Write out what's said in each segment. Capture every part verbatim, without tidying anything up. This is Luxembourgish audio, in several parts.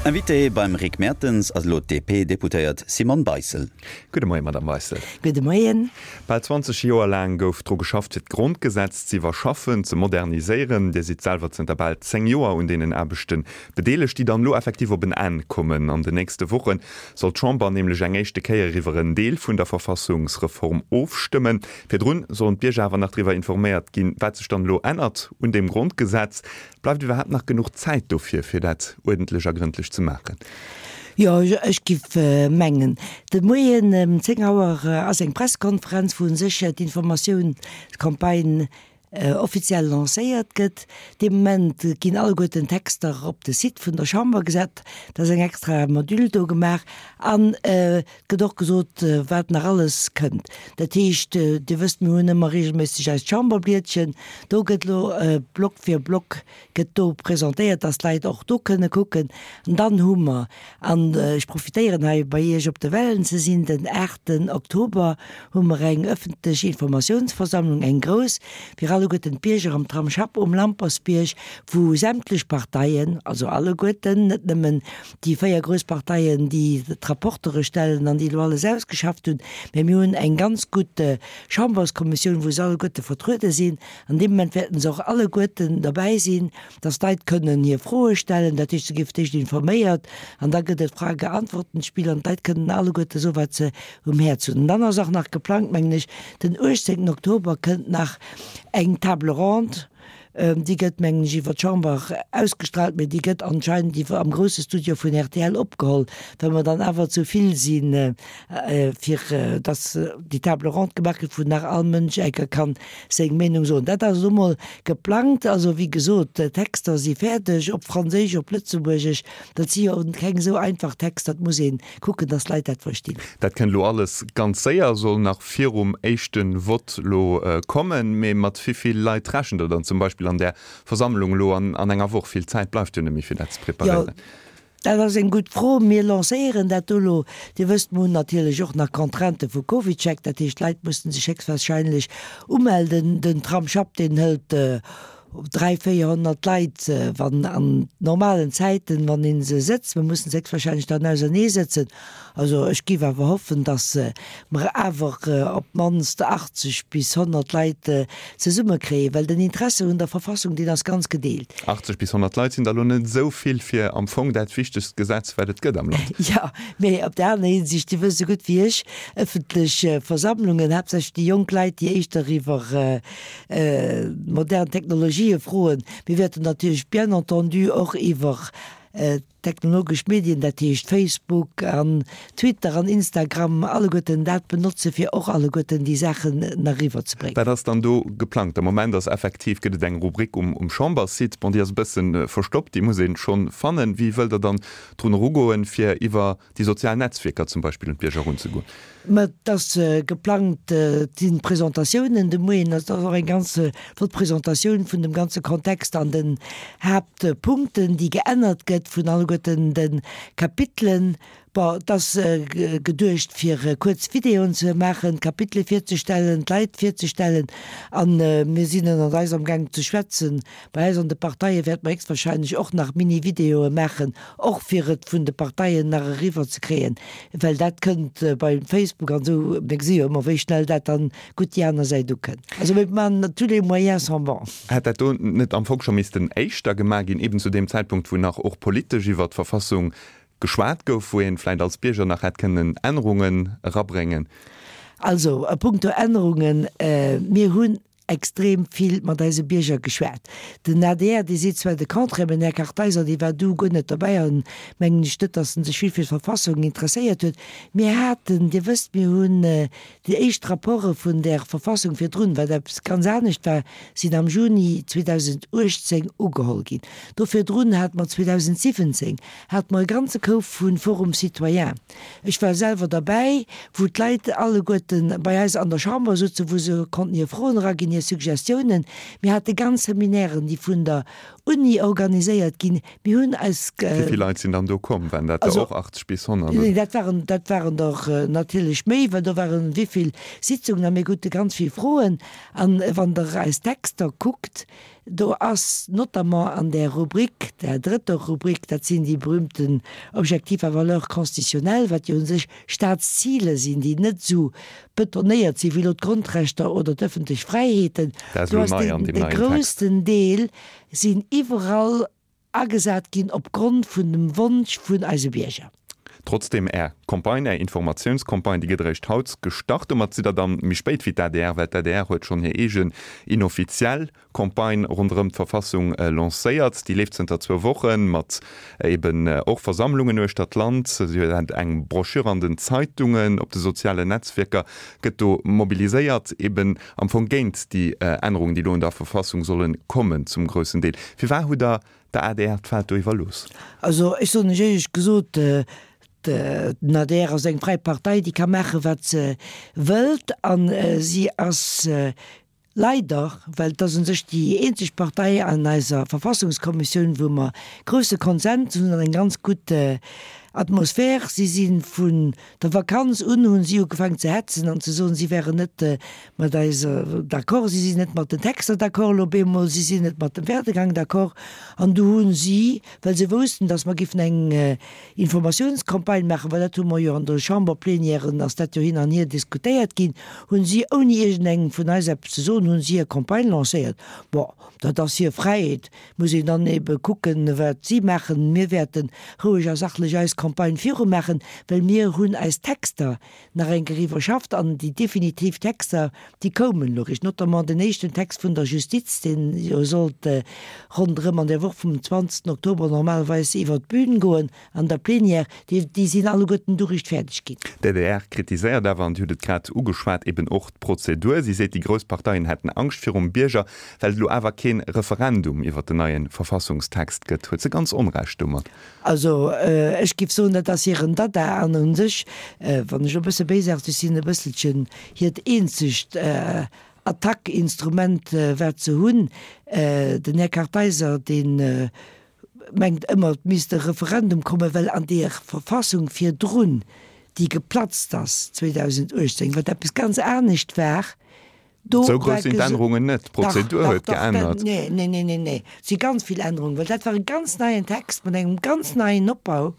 Invité beim Rick Mertens ass elo d'DP-Deputéiert Simone Beissel. Gudde Moien, Madame Beissel. Gudde Moien. Bal zwanzeg Joer laang gouf dru geschafft, fir d'Grondgesetz ze iwwerschaffen, ze moderniséieren. Dir sidd selwer zënter bal zéng Joer un deenen Aarbechte bedeelegt, déi dann elo effektiv op en Enn kommen. An den nächste Woche soll d'Chamber nämlech eng éischte Kéier iwwer en Deel vun der Verfassungsreform ofstëmmen. Virdrun sollen d'Bierger awer nach driwwer informéiert ginn, wat sech dann elo ännert un deem Grondgesetz. Bleift iwwerhaapt nach genuch Zäit dofir, fir dat uerdentlech a grëndlech ze maachen? Jo, ech giff mengen. De Moien ëm zéng Auer ass eng Presskonferenz, wou u sech d'Informatiounscampagne offiziell lancéiert gëtt. Dee Moment ginn alleguerten d'Texter op de Site vun der Chamber gesat. Da ass eng extra Module do gemaach an et gëtt och gesot, wat nach alles kënnt. Dat heescht, Dir wësst, mir hunn ëmmer reegelméisseg eist Chamberblietchen. Do gëtt elo Block fir Block gëtt do presentéiert, dass d'Leit och do kënne kucken. An dann hu mer, an ech profitéieren hei bei Iech op de Wellen ze sinn, den aachten Oktober hu mer eng ëffentlech Informatiounsversammlung, eng grouss, fir alleguerten d'Bierger am Tramsschapp um Lampersbierg, wou sämtlech Parteien, also alleguerten, net nëmmen déi véier grouss Parteien, déi d'Rapportere stellen an déi elo alles ausgeschafft hunn, mä mir hunn eng ganz gutt Chamberskommissioun, wou se alleguerte vertruede sinn. An deem Moment wäerten se och alleguerten derbäi sinn, dass d'Leit kënnen hir Froe stellen. Dat heescht, se gi fir d'éischt informéiert an da gëtt et Frage-Antworten-Spill an d'Leit kënnen alleguerte soen, wat se um Häerz hunn. An dann ass och nach geplangt, mengen ech, den uechtzéngten Oktober kënnt nach eng Table ronde. Déi gëtt, mengen ech, iwwer d'Chamber ausgestrahlt, mee déi gëtt anscheinend iwwer am grousse Studio vun rtl opgeholl, well mer dann awer zu vill sinn, fir dass déi Table ronde gemaach gëtt, wou nach all Mënsch enker kann seng Meenung soen. Dat ass elo mol geplangt. Also, wéi gesot, d'Texter si fäerdeg, op Franséisch, op Lëtzebuergesch. Dat si jo keng esou einfach Texter, et muss ee kucken, dass d'Leit dat verstinn. Dat kënnt elo alles ganz séier, soll nach virum éischte Vott elo kommen. Mee mat wéi vill Leit rechent Der dann zum Beispill an där Versammlung elo an enger Woch? Vill Zäit bleift jo net méi, fir dat ze preparéieren. Jo, dat ass eng gutt Fro. Mir lancéieren dat do elo. Dir wësst, mir hunn natierlech och nach Contraintë vu CovidCheck. Dat heescht, d'Leit mussen sech héchstwahrscheinlech umelden. Den Tramsschapp, deen hëlt dräi, véierhonnert Leit, wann an normalen Zäiten, wann ee se sëtzt. Mir mussen se héchstwahrscheinlech dann ausernee sëtzen. Also ech géif awer hoffen, datt mer awer op d'mannst achtzeg bis honnert Leit zesumme kréien, well den Interesse un der Verfassung, deen ass ganz gedeelt. Achtzeg bis honnert Leit sinn der elo net esou vill fir am Fong dat wichtegst Gesetz, wat et gëtt am Land. Jo, mee op der aner Hinsicht, Dir wësst esou gutt wéi ech, ëffentlech Versammlungen, haaptsächlech déi jonk Leit, déi éischter iwwer modern Technologië froen. Mir wäerten natierlech bien entendu och iwwer technologesch Medien, dat heescht Facebook an Twitter an Instagram, alleguerten dat benotze fir och alleguerten déi Saachen nach eriwwer ze bréngen. Wat ass dann do geplangt? Am Moment ass effektiv, gëtt et eng Rubrik um um Chamberssite, bon déi ass e bësse verstoppt, déi muss ee schonn fannen. Wéi wëllt Der dann drun erugoen, fir iwwer déi sozial Netzwierker zum Beispill un d'Bierger erunzegoen? Mä et ass geplangt, et sinn Presentatiounen de Moien, et ass och eng ganz flott Presentatioun vun dem ganze Kontext an den Haaptpunkten, déi geännert gëtt, vun alleguerten de Kapitelen. Bon, et ass geduecht, fir kuerz Videoen ze maachen, d'Kapitele virzestellen, d'Leit virzestellen. A mir sinn ënnert eis amgaang ze schwätzen. Bei eis an de Parteie wäerte mer héchstwahrscheinlech och nach Mini-Videoe maachen, och fir et vun de Parteien nach eriwwer ze kréien, well dat kënnt bei Facebook an esou, mir gesi jo ëmmer, wéi schnell dat dann gutt déi aner Säit ukënnt. Also mir maachen, tous les moyens sont bons. Hätt dat do net am Fong scho missten éischter gemaach ginn, eben zu deem Zäitpunkt, wou nach och politesch iwwert d'Verfassung geschwat gouf, wou een vläicht als Bierger nach hätt kënnen Ännerungen erabréngen? Also a puncto Ännerungen, mir hunn extrem vill mat eise Bierger geschwat. Den adr, dee seet zwar de Contraire, mä den Här Kartheiser, dee war du guer net derbäi an mengen ech net, datt en sech vill fir d'Verfassung interesséiert huet. Mir haten, Dir wësst, mir hunn déi éischt Rapporte vun där Verfassung virdrun, wat eppes ganz anescht war, sinn am Juni zweedausenduechtzéng ugeholl ginn. Do virdrun hate mer zweedausensiwwenzéng hate mer e ganze Koup vu Forum citoyen. Ech war selwer derbäi, wou d'Leit alleguerte bei eis an der Chamber souzen, wou se konnten hir Froen eraginn, hir Suggestiounen. Mir hate ganz Seminairen, déi vun der Uni organiséiert ginn. Mir hunn eis. Wéi vill Leit sinn dann do komm? Waren dat der och achtzeg bis honnert? Neen, dat waren, dat waren der natierlech méi, well do waren wéi vill Sitzungen a mir krute ganz vill Froen. An wann Der eis Texter kuckt, Do ass notamment an der Rubrik, der drëtter Rubrik, dat sinn déi berühmten Objectifs à valeur constitutionnelle, wat jo u sech Staatsziler sinn, déi net esou betonéiert sinn wéi elo d'Grondrechter oder d'ëffentlech Fräiheeten, do ass de groussten Deel sinn iwwerall agesat ginn opgrond vun dem Wonsch vun eise Bierger. Trotzdem, Är Campagne, Är Informatiounscampagne, déi gëtt eréischt haut gestart. Domat sidd Der dann méi spéit wéi d'ADR, well d'ADR huet schonn hir eegen inoffiziell Campagne ronderëm d'Verfassung lancéiert. Déi leeft zënter zwou Woche mat eben och Versammlungen uechter d'Land. Si huet eng Broschür an den Zeitungen, op de sozialen Netzwierker gëtt do mobiliséiert, eben am Fong géint déi Ännerungen, déi elo un der Verfassung solle kommen zum groussen Deel. Firwat hutt Der der adr d'Feld do iwwerlooss? Also ech soen lech éierlech gesot, den adr ass eng fräi Partei, déi ka maachen, wat se wëllt. A si ass leider, well et ass u sech déi eenzeg Partei an eiser Verfassungskommissioun, wou mer grousse Konsens hunn an eng ganz gutt Atmosphär. Si si vun der Vakanz un hunn si ugefaangen ze hetzen an ze soen, si wären net mat eis d'accord, si sinn net mat den Texter d'accord elo op eemol, si sinn net mat dem Werdegang d'accord. An du hunn si, well se woussten, datt mer giffen eng Informatiounscampagne maachen, well dat hu mer jo an der Chamberplenièren, ass dat jo hin an hier diskutéiert ginn, hunn si, ouni iergendengem vun eis eppes ze soen, hunn si hir Campagne lancéiert. Bon, dat ass hir Fräiheet, muss een dann ebe kucken, wat si maachen. Mir wäerte roueg a sachlech eis Campagne virumaachen, well mir hunn eis Texter nach eng Kéier iwwerschafft an déi definitiv Texter, déi koumen elo eréischt, notamment den éischten Text vun der Justiz, deen jo sollt ronderëm an der Woch vum zwanzegsten Oktober normalerweis iwwert d'Bün goen an der Plenière, déi, déi sinn alleguerten du eréischt fäerdeg ginn. D'adr kritiséiert awer, an Dir hutt et grad ugeschwat, eben och d'Prozedur. Si seet, déi grouss Parteien hätten Angscht virum Bierger, well et elo awer kee Referendum iwwert den neie Verfassungstext gëtt. Huet se ganz Onrecht domat? Also ech géif soen, dat ass hiren Dada an u sech, wann ech elo e bësse béisaarteg sinn, e bësselchen hiert eenzegt Attack-Instrument, wat se hunn. Den Här Kartheiser, dee mengt ëmmer, et misst e Referendum kommen, well an deer Verfassung virdrun, déi geplatzt ass zweedausenduechtzéng, wat eppes ganz anescht war, Do Sou grouss sinn d'Ännerungen net. D'Prozedur huet geännert. Nee, nee, nee, nee, nee. Et si ganz vill Ännerungen, well dat war e ganz neien Text mat engem ganz neien Opbau.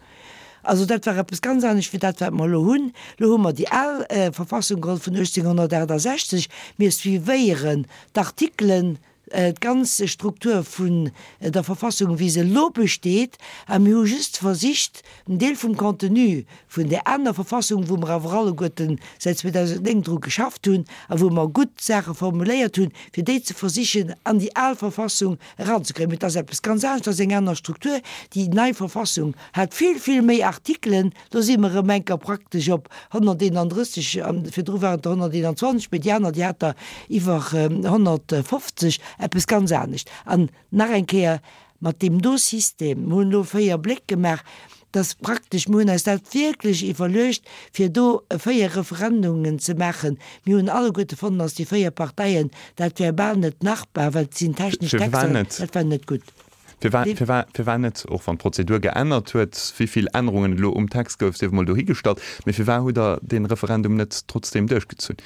Also dat war eppes ganz anescht wéi dat, wat mer elo hunn. Elo hu mer déi al Verfassung geholl vun uechtzénghonnertaachtasechzeg. Mir suivéieren d'Artikelen, d'ganz Struktur vun der Verfassung, wéi se elo besteet, a mir hu just versicht, en Deel vum Contenu vun där aner Verfassung, wou mer awer alleguerten säit zweedausendnéng dru geschafft hunn a wou mer gutt Saache formuléiert hunn, fir déi ze versichen an déi al Verfassung eranzekréien. Mee et ass eppes ganz anescht, et ass eng aner Struktur. Déi nei Verfassung hat vill, vill méi Artikelen. Do si mer erëm enker praktesch op honnerteenandrësseg, virdru waren et der honnerteenanzwanzeg, mee déi aner, déi hat der iwwer honnertfofzeg, eppes ganz anescht. An nach eng Kéier, mat deem do System, mir hunn elo véier Bléck gemaach, dass praktesch, mir hunn eis dat wierklech iwwerluecht, fir do véier Referendungen ze maachen. Mir hunn alleguerte fonnt, dass déi véier Parteien, dat wär bal net machbar, well et sinn technesch Texter, dat war net gutt. Firwat net, och wann d'Prozedur geännert huet, wéi vill Ännerungen et elo um Text gouf, sief emol dohigestallt, mee firwat hutt Der dee Referendum net trotzdeem duerchgezunn?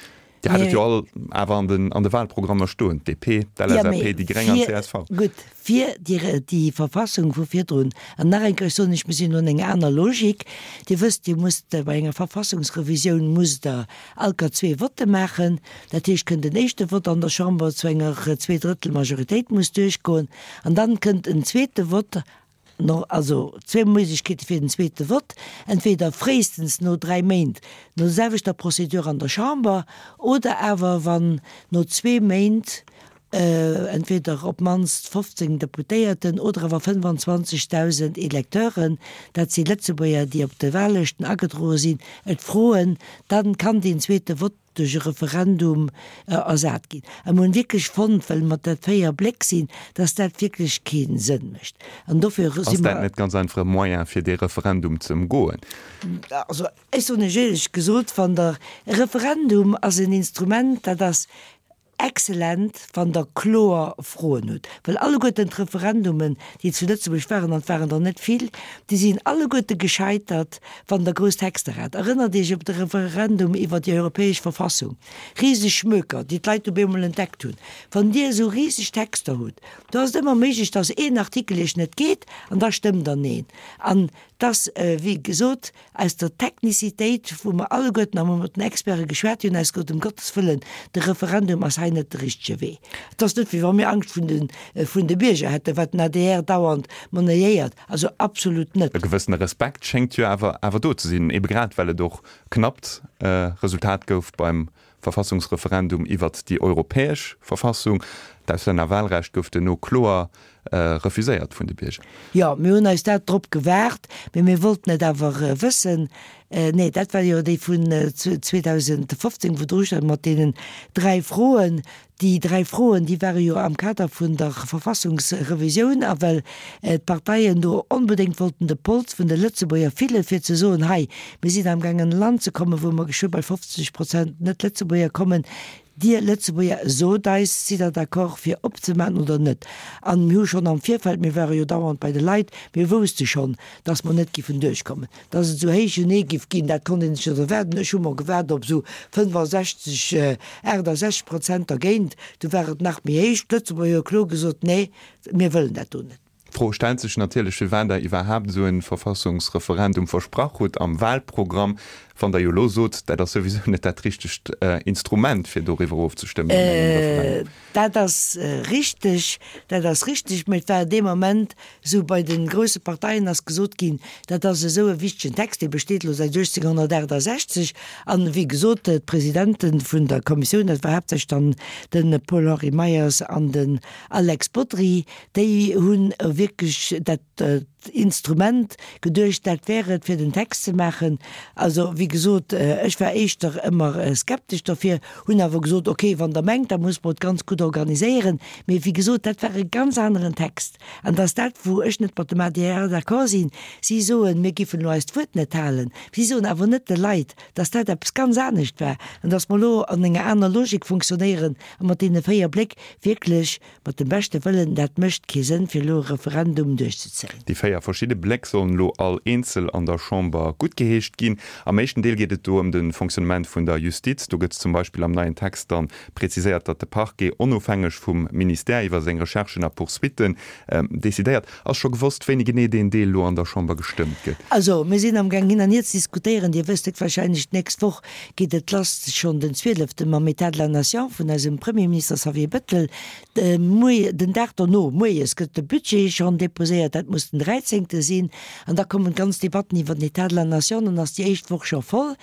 Dir hat et jo all awer an den an de Wahlprogrammer stoen, d'DP, d'LSAP, déi Gréng an d'CSV. Gutt, fir déi Verfassung vu virdrun, an nach eng Kéier soen ech, mir sinn un enger aner Logik. Dir wësst, Dir musst bei enger Verfassungsrevisioun musst Der all Kéier zwee Votte maachen. Dat heescht, kënnt en éischte Vott an der Chamber zu enger Zweedrëttelmajoritéit muss duerchgoen, an dann kënnt en zweete Vott, no, also zwee Méiglechkeete fir den zweete Vott, entweder fréistens no dräi Méint no der selwechter Procédure an der Chamber, oder awer wann no zwee Méint entweder op d'mannst fofzéng Deputéierten oder awer fënnefanzwanzegdausend Electeuren, dat si Lëtzebuerger, déi op de Wahllëschten agedroe sinn, et froen, dann kann deen zweete Vott duerch e Referendum ersat ginn. A mir hunn wierklech fonnt, well mer dat véier Bléck sinn, dass dat wierklech kee Sënn mécht. An dofir si Ass dat mer. net ganz einfach e Moyen, fir dee Referendum ze ëmgoen? Also, ech soen lech éierlech gesot, wann Der, e Referendum ass en Instrument, dat ass excellent, wann Der kloer Froen hutt. Well alleguerten d'Referendumen, déi zu Lëtzebuerg waren, an et waren der net vill, déi sinn alleguerte gescheitert, wann Der grouss Texter hat. Erënnert Iech op de Referendum iwwer déi europäesch Verfassung, riseg Schmöker, déi d'Leit op eemol entdeckt hunn. Wann Dir esou riseg Texter hutt, do ass et ëmmer méiglech, dass een Artikel Iech net geet an da stëmmt Der Neen. An dass, wéi gesot, aus der Technicitéit, wou mer alleguerten a mat den Experte geschwat hunn, eis gesot, ëm Gottes Wëllen, de Referendum ass hei net de richtege Wee. Et ass net, wéi wa mir Angscht vun de, vun de Bierger hätten, wat den adr dauernd monnayéiert, also absolut net. E gewëssene Respekt schéngt jo awer, awer do ze sinn, ebe grad well et och knappt Resultat gouf beim Verfassungsreferendum iwwert déi europäesch Verfassung. D'Auslännerwahlrecht gouf duerno kloer refuséiert vun de Bierger. Jo, mir hunn eis dat drop gewaart, mee mir wollten et awer wëssen. Nee, dat war jo déi vun zweedausendfofzéng, wou dru stand mat deenen dräi Froen. Déi dräi Froen, déi ware jo am Kader vun der Verfassungsrevisioun, a well d'Parteien do onbedéngt wollten de Pols vun de Lëtzebuerger fillen, fir ze soen, hei, mir sinn amgaangen an e Land ze kommen, wou mer geschwë bei fofzeg Prozent Net-Lëtzebuerger kommen, Dir Lëtzebuerger, sot eis, sidd Der d'accord fir opzemaachen oder net? An mir hu schonn am Virfeld, mir ware jo dauernd bei de Leit, mir wousste schonn, dass mer net giffen duerchkommen. Dass et esou héije Nee giff ginn, dat konnt een sech net erwaarden. Ech hu mer gewaart op esou fënnefasechzeg, aachtasechzeg Prozent dergéint. Du war et nach méi héich. D'Lëtzebuerger hu kloer gesot, Nee, mir wëllen dat do net. D'Fro stellt sech natierlech, firwat Der iwwerhaapt esou e Verfassungsreferendum versprach hutt am Wahlprogramm, wann Der jo elo sot, dat ass souwisou net dat richtegt Instrument, fir doriwwer ofzestëmmen an engem Referendum. Dat ass richteg, dat ass richteg, mä et war dee Moment esou, bei de grousse Parteien ass gesot ginn, dat ass esou e wichtegen Text, dee besteet elo säit uechtzénghonnertaachtasechzeg an, wéi gesot, d'Presidente vun der Kommissioun, dat war haaptsächlech dann de Paul-Henri Meyers an den Alex Bodry, déi hunn wierklech dat Instrument geduecht, dat wär et, fir den Text ze maachen. Also, wéi gesot, ech war éischter ëmmer skeptesch dofir, hunn awer gesot, okay, wann Der mengt, da muss mer et ganz gutt organiséieren. Mee wéi gesot, dat war e ganz aneren Text. An dat ass dat, wou ech net mat dem adr d'accord sinn. Si soen, mir giffen elo eist Wuert net halen. Si soen awer net de Leit, dass dat eppes ganz anescht war an dass mer elo an enger aner Logik funktionéieren a mat deene véier Bléck wierklech mat dem beschte Wëllen, dat mécht kee Sënn, fir elo e Referendum duerchzezéien. Déi véier verschidde Bléck sollen elo all eenzel an der Chamber guttgeheescht ginn. Am éischten Deel geet et do ëm de Fonctionnement vun der Justiz. Do gëtt zum Beispill am neien Text dann preziséiert, datt de Parquet onofhängeg vum Ministère iwwer seng Recherchen a Poursuitten decidéiert. Ass scho gewosst, wéini genee deen Deel elo an der Chamber gestëmmt gëtt? Also, mir sinn amgaang hin an hier ze diskutéieren. Dir wësst et wahrscheinlech, d'nächst Woch geet et lass, schonn den zwieleften, mam État de la nation vun eisem Premierminister Xavier Bettel. De Moie, den Dag dono, moies, gëtt de Budget schonn deposéiert, dat muss den dräizéngte sinn. An da kommen d'ganz Debatten iwwer den État de la nation, dann ass déi éischt Woch scho voll.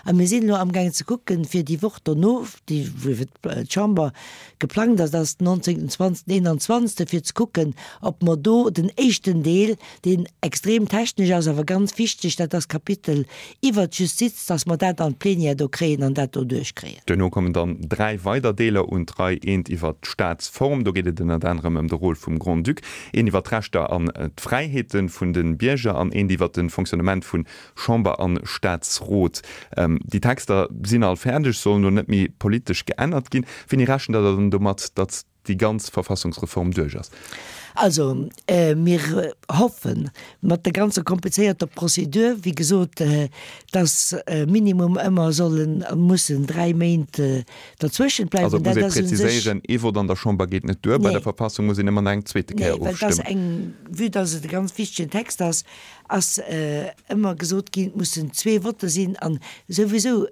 A mir sinn elo amgaangen ze kucken, fir déi Woch dono, déi wou fir d'Chamber geplangt ass, dat ass den nonzéngten, zwanzegsten, eenanzwanzegsten, fir ze kucken, ob mer do den éischten Deel, deen extrem technesch ass, awer ganz wichteg, dat ass d'Kapitel iwwert d'Justiz, dass mer dat an d'Plénière do kréien an dat do duerchkréien. Duerno kommen dann dräi weider Deeler un d'Rei, eent iwwert d'Staatsform, do geet et ënnert anerem ëm de Rôle vum Grand-Duc, een iwwert d'Rechter an d'Fräiheete vun de Bierger an eent iwwert de Fonctionnement vu Chamber an Staatsrot. Déi Texter sinn all fäerdeg, sollen elo net méi politesch geännert ginn. Wéini rechent Der dann domat, datt déi ganz Verfassungsreform duerch ass? Also, mir hoffen, mat der ganzer komplizéierter Prozedur, wéi gesot, dass minimum ëmmer sollen, mussen dräi Méint derzwëschent bleiwen. Also et muss ee präziséieren, ee Vott an der Chamber geet net duer, bei der Verfassung muss een ëmmer nach eng zweete Kéier ofstëmmen. Nee, well et ass eng, vue dass et e ganz wichtegen Text ass, ass ëmmer gesot ginn, et mussen zwee Votte sinn. An souwisou,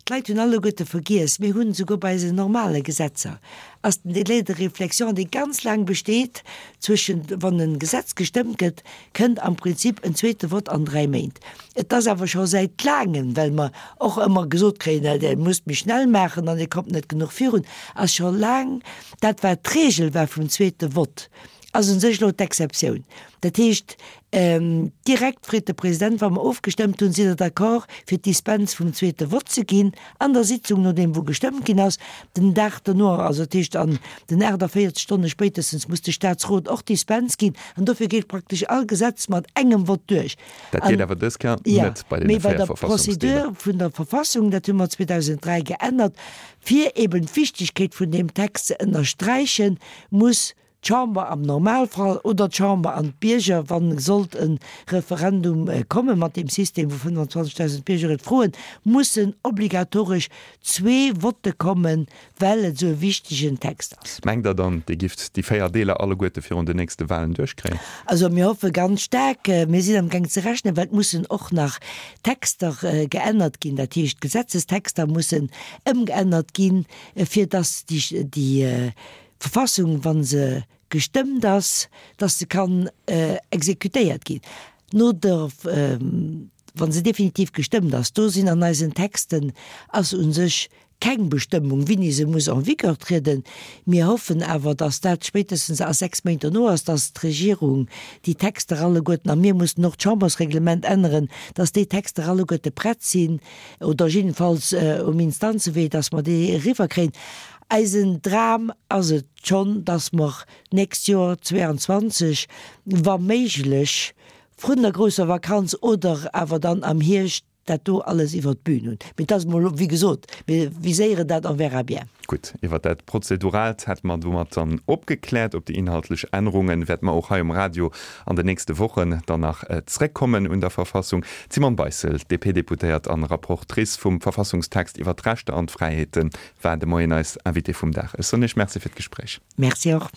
d'Leit hunn alleguerte vergiess, mir hunn esouguer bei eisen normale Gesetzer ass den Délai de réflexion, dee ganz laang besteet, zwëschent, wann e Gesetz gestëmmt gëtt, kënnt am Prinzip en zweete Vott an dräi Méint. Et ass awer scho säit laangem, well mer och ëmmer gesot kréien, Dir musst méi schnell maachen an Dir kommt net genuch virun, ass scho laang dat, wat d'Regel war vum zweete Vott, ass u sech elo d'Exceptioun. Dat heescht, direkt freet de President, wa mer ofgestëmmt hunn, Sidd Der d'accord, fir d'Dispens vum zweete Vott ze ginn an der Sitzung, nodeem wou gestëmmt ginn ass? Den Dag dono, also dat heescht an den aachtavéierzeg Stonne spéitestens, muss de Statsrot och d'Dispens ginn. An dofir geet praktesch all Gesetz mat engem Vott duerch. Dat geet awer dës Kéier net bei deene véier Verfassungsdeeler. Mee bei der Procédure vun der Verfassung, dat hu mer zweedausenddräi geännert, fir eben d'Wichtigkeet vun deem Text ze ënnersträichen, muss d'Chamber am Normalfall oder d'Chamber an d'Bierger, wa sollt e Referendum komme mat deem System, wou fënnfanzwanzegdausend Bierger et froen, mussen obligatoresch zwee Votte kommen, well et esou e wichtegen Text ass. Mengt Der dann, Dir gifft déi véier Deeler alleguerte virun den nächste Wahlen duerchkréien? Also mir hoffe ganz staark. Mir sinn amgaang ze rechnen, well et mussen och nach Texter geännert ginn, dat heescht Gesetzestexter mussen ëmgeännert ginn, fir dass déi Verfassung, wa se gestëmmt ass, dass se kann exekutéiert ginn no der, wa se definitiv gestëmmt ass. Do sinn an eisen Texten ass u sech keng Bestëmmung, wéini se muss en vigueur trieden. Mir hoffen awer, dass dat spéitestens a sechs Méint dono ass, dass d'Regierung déi Texter alleguerten, a mir mussen och d'Chambersreglement änneren, dass déi Texter alleguerte prett sinn oder jiddefalls um Instanzewee, dass mer déi eriwwerkréien. Eisen Dram ass et schonn, dass mer d'nächst Joer zweiundzwanzeg, wa méiglech vrun der grousser Vakanz oder awer dann am Hierscht, dat do alles iwwert d'Bün hunn. Mee et ass emol, wéi gesot, mir viséieren dat, on verra bien. Gutt, iwwert dat Prozeduraalt hätte mer domat dann opgekläert. Op déi inhaltlech Ännerunge wäerte mer och hei um Radio an den nächste Wochen dann nach zréckkommen un der Verfassung. D'Simone Beissel, D P-Deputéiert an Rapportrice vum Verfassungstext iwwer d'Rechter an d'Fräiheeten, war de Moien eis Invitée vum Dag. Ech soen Iech Merci fir d'Gespréich. Merci och.